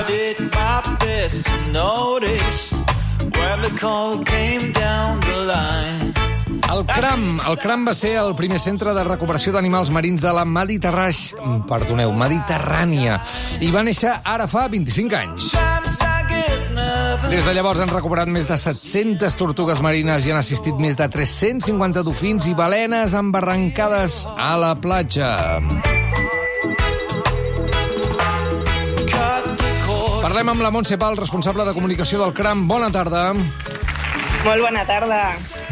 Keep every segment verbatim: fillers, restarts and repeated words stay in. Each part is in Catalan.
I did my best to notice when the call came down the line. El CRAM, el CRAM va ser el primer centre de recuperació d'animals marins de la Mediterrània, perdoneu, Mediterrània, i va néixer ara fa vint-i-cinc anys. Des de llavors han recuperat més de set-centes tortugues marines i han assistit més de tres-cents cinquanta dofins i balenes embarrancades a la platja. Parlem amb la Montse Pal, responsable de comunicació del CRAM. Bona tarda. Molt bona tarda.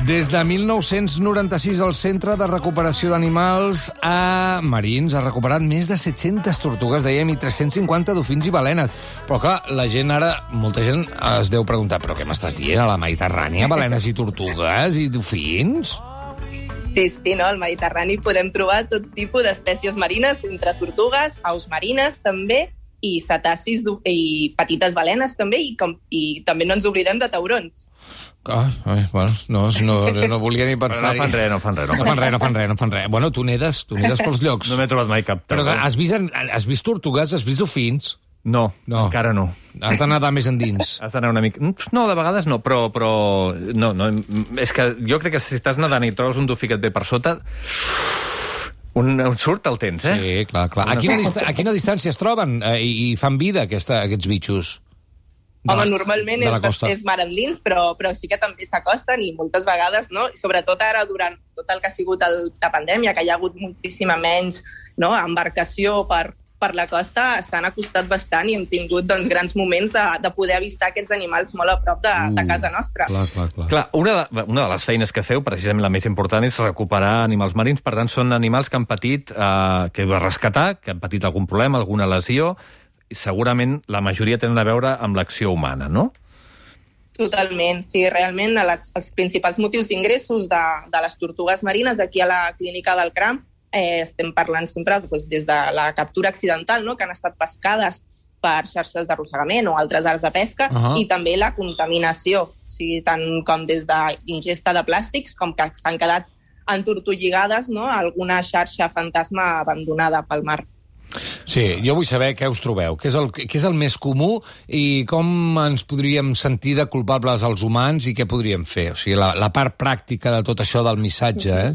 Des de mil nou-cents noranta-sis, el Centre de Recuperació d'Animals a Marins ha recuperat més de set-centes tortugues, dèiem, i tres-cents cinquanta dofins i balenes. Però, clar, la gent ara, molta gent es deu preguntar, però què m'estàs dient? A la Mediterrània, balenes i tortugues i dofins? Sí, sí, no? Al Mediterrani podem trobar tot tipus d'espècies marines, entre tortugues, aus marines, també, i cetacis i petites balenes, també, i, com, i també no ens oblidem de taurons. Ah, ai, bueno, no, no, no volia ni pensar-hi. No fan res, no fan res. No fan res, no fan res, no fan res. Bueno, tu nedes, tu nedes pels llocs. No m'he trobat mai cap Però tauró. has vist, has vist tortugues, has vist dofins? No, No. encara no. Has de nedar més endins. Has d'anar una mica... No, de vegades no, però... però... No, no, és que jo crec que si estàs nedant i trobes un dofí que et ve per sota... Un, un surt el tens, eh? Sí, clar, clar. A quina, dista a quina distància es troben eh, i, i fan vida aquesta, aquests bitxos? De Home, la- normalment de la és, costa. és mar endins, però, però sí que també s'acosten i moltes vegades, no? I sobretot ara, durant tot el que ha sigut el, la pandèmia, que hi ha hagut moltíssima menys, no?, embarcació per, per la costa, s'han acostat bastant i hem tingut, doncs, grans moments de, de poder avistar aquests animals molt a prop de, de casa nostra. Clar, clar, clar. Clar, una de, una de les feines que feu, precisament la més important, és recuperar animals marins. Per tant, són animals que han patit, eh, que heu de rescatar, que han patit algun problema, alguna lesió, i segurament la majoria tenen a veure amb l'acció humana, no? Totalment, sí, realment les, els principals motius d'ingressos de, de les tortugues marines aquí a la clínica del CRAM eh, estem parlant sempre doncs, des de la captura accidental, no?, que han estat pescades per xarxes d'arrossegament o altres arts de pesca, Uh -huh. i també la contaminació, o sigui, tant com des d'ingesta de plàstics com que s'han quedat entortolligades, no?, a alguna xarxa fantasma abandonada pel mar. Sí, jo vull saber què us trobeu, què és, el, què és el més comú i com ens podríem sentir de culpables als humans i què podríem fer. O sigui, la, la part pràctica de tot això del missatge, eh?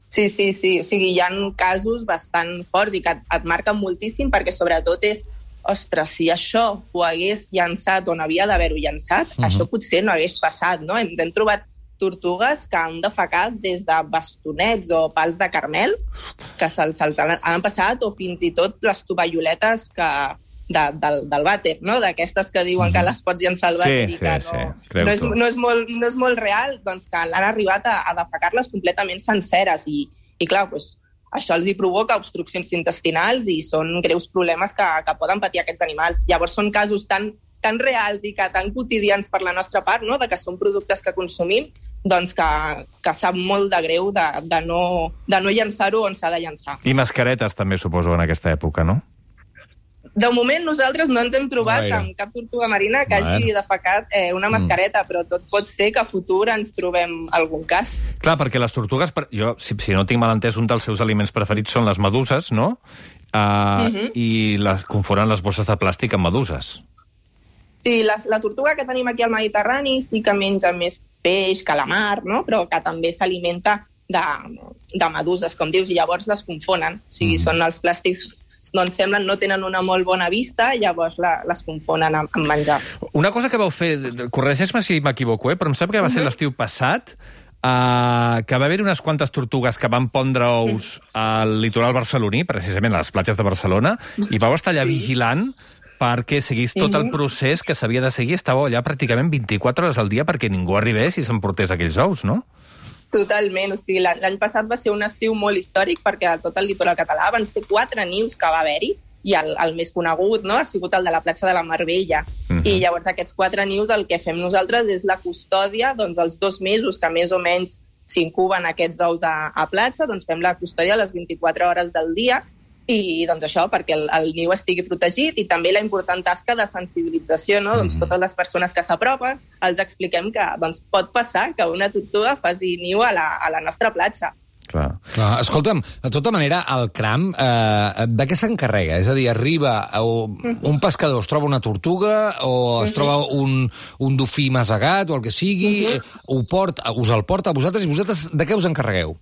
Sí, sí, sí. O sigui, hi ha casos bastant forts i que et, et marquen moltíssim perquè sobretot és, ostres, si això ho hagués llançat on havia d'haver-ho llançat, uh-huh. això potser no hagués passat, no? Ens hem trobat tortugues que han defecat des de bastonets o pals de carmel, que se'ls se han, han passat, o fins i tot les tovalloletes que, de, del, del vàter, no?, d'aquestes que diuen uh-huh. que les pots llançar al vàter Sí, i que sí, no, sí. no, és, no, és molt, no és molt real, doncs que l'han arribat a, a defecar-les completament senceres i, i clar, doncs, això els hi provoca obstruccions intestinals i són greus problemes que, que poden patir aquests animals. Llavors són casos tan, tan reals i que tan quotidians per la nostra part, no?, de que són productes que consumim, doncs que, que sap molt de greu de, de no, de no llançar-ho on s'ha de llançar. I mascaretes també, suposo, en aquesta època, no? De moment nosaltres no ens hem trobat Gaire. amb cap tortuga marina que Bueno. hagi defecat eh, una mascareta, mm. però tot pot ser que a futur ens trobem algun cas. Clar, perquè les tortugues, per- jo, si, si no tinc mal entès, un dels seus aliments preferits són les meduses, no? Uh, Mhm. I les confonen les bosses de plàstic amb meduses. Sí, la, la tortuga que tenim aquí al Mediterrani sí que menja més peix, calamar, no?, però que també s'alimenta de, de meduses, com dius, i llavors les confonen. O sigui, mm. són els plàstics, doncs semblen no tenen una molt bona vista, llavors la, les confonen amb, amb menjar. Una cosa que vau fer, corregeix-me si m'equivoco, eh, però em sembla que va ser l'estiu passat, uh, que va haver unes quantes tortugues que van pondre ous al litoral barceloní, precisament a les platges de Barcelona, i vau estar allà vigilant perquè seguís tot el procés que s'havia de seguir. Estàveu allà pràcticament vint-i-quatre hores al dia perquè ningú arribés i s'emportés aquells ous, no? Totalment, o sigui, l'any passat va ser un estiu molt històric perquè a tot el litoral català van ser quatre nius que va haver-hi, i el, el més conegut, no?, ha sigut el de la platja de la Marbella. Uh-huh. I llavors aquests quatre nius el que fem nosaltres és la custòdia, doncs els dos mesos que més o menys s'incuben aquests ous a, a platja, doncs fem la custòdia a les vint-i-quatre hores del dia, i doncs això, perquè el, el niu estigui protegit, i també la important tasca de sensibilització, no? Mm-hmm. Doncs totes les persones que s'apropen els expliquem que doncs, pot passar que una tortuga faci niu a la, a la nostra platja. Clar. Clar, escolta'm, de tota manera, el cram, eh, de què s'encarrega? És a dir, arriba un pescador, es troba una tortuga o es troba un, un dofí masegat o el que sigui, ho porta, us el porta a vosaltres i vosaltres de què us encarregueu?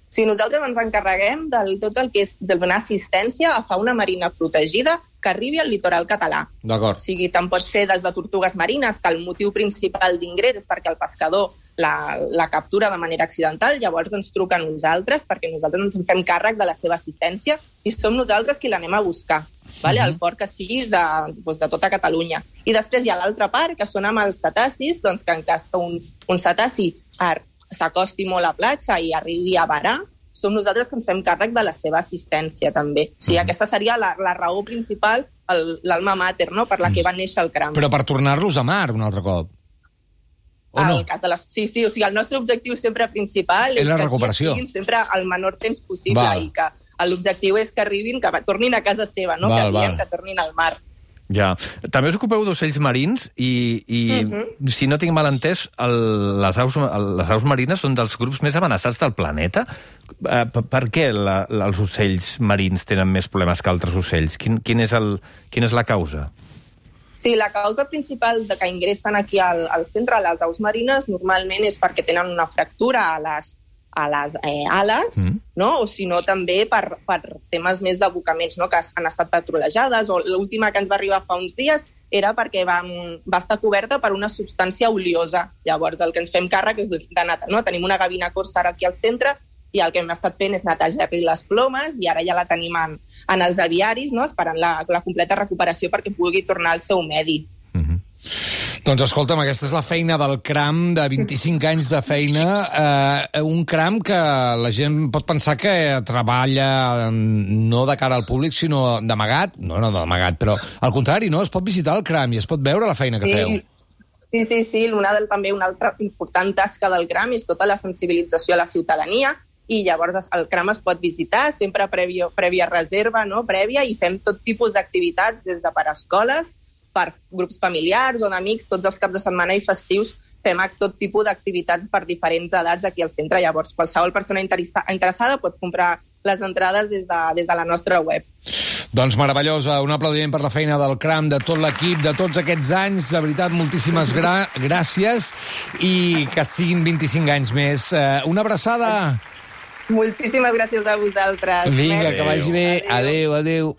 Sí, nosaltres ens encarreguem del tot el que és de donar assistència a fauna marina protegida que arribi al litoral català. D'acord. O sigui, tant pot ser des de tortugues marines, que el motiu principal d'ingrés és perquè el pescador la, la captura de manera accidental, llavors ens truca a nosaltres, perquè nosaltres ens en fem càrrec de la seva assistència i som nosaltres qui l'anem a buscar, vale? Uh-huh. El port que sigui de, doncs, de tota Catalunya. I després hi ha l'altra part, que són amb els cetacis, doncs que en cas que un, un cetaci s'acosti molt a platja i arribi a varar, som nosaltres que ens fem càrrec de la seva assistència, també. O sigui, mm. aquesta seria la, la raó principal, l'alma mater, no?, per la que va néixer el cram. Però per tornar-los a mar un altre cop? O no? El cas de les... Sí, sí, o sigui, el nostre objectiu sempre principal és, és la que recuperació. estiguin sempre el menor temps possible. Val. I que l'objectiu és que arribin, que tornin a casa seva, no?, val, que diem val. Que tornin al mar. Ja. També us ocupeu d'ocells marins i, i uh-huh. si no tinc mal entès, el, les, aus, el, les aus marines són dels grups més amenaçats del planeta. Uh, per, per què la, la, els ocells marins tenen més problemes que altres ocells? Quin, quin és el, quina és la causa? Sí, la causa principal de que ingressen aquí al, al centre, a les aus marines, normalment és perquè tenen una fractura a les a les eh, ales, mm. no? O si no també per, per temes més d'abocaments, no? Que han estat patrulejades, o l'última que ens va arribar fa uns dies era perquè va, va estar coberta per una substància oliosa. Llavors el que ens fem càrrec és de netejar, no? Tenim una gavina corsa ara aquí al centre i el que hem estat fent és netejar-li les plomes i ara ja la tenim en, en els aviaris, no? Esperant la, la completa recuperació perquè pugui tornar al seu medi. Mm-hmm. Doncs escolta'm, aquesta és la feina del cram, de vint-i-cinc anys de feina, eh, un cram que la gent pot pensar que treballa no de cara al públic, sinó d'amagat, no, no d'amagat, però al contrari, no? Es pot visitar el cram i es pot veure la feina que sí. feu. Sí, sí, sí, una del, també una altra important tasca del cram és tota la sensibilització a la ciutadania i llavors el cram es pot visitar sempre prèvia, prèvia reserva, no? Prèvia, i fem tot tipus d'activitats des de per escoles, per grups familiars o d'amics, tots els caps de setmana i festius fem tot tipus d'activitats per diferents edats aquí al centre. Llavors, qualsevol persona interessa, interessada pot comprar les entrades des de, des de la nostra web. Doncs meravellosa, un aplaudiment per la feina del cram, de tot l'equip, de tots aquests anys, de veritat, moltíssimes gra gràcies i que siguin vint-i-cinc anys més. Uh, una abraçada! Moltíssimes gràcies a vosaltres. Vinga, que vagi bé. Adéu, adéu.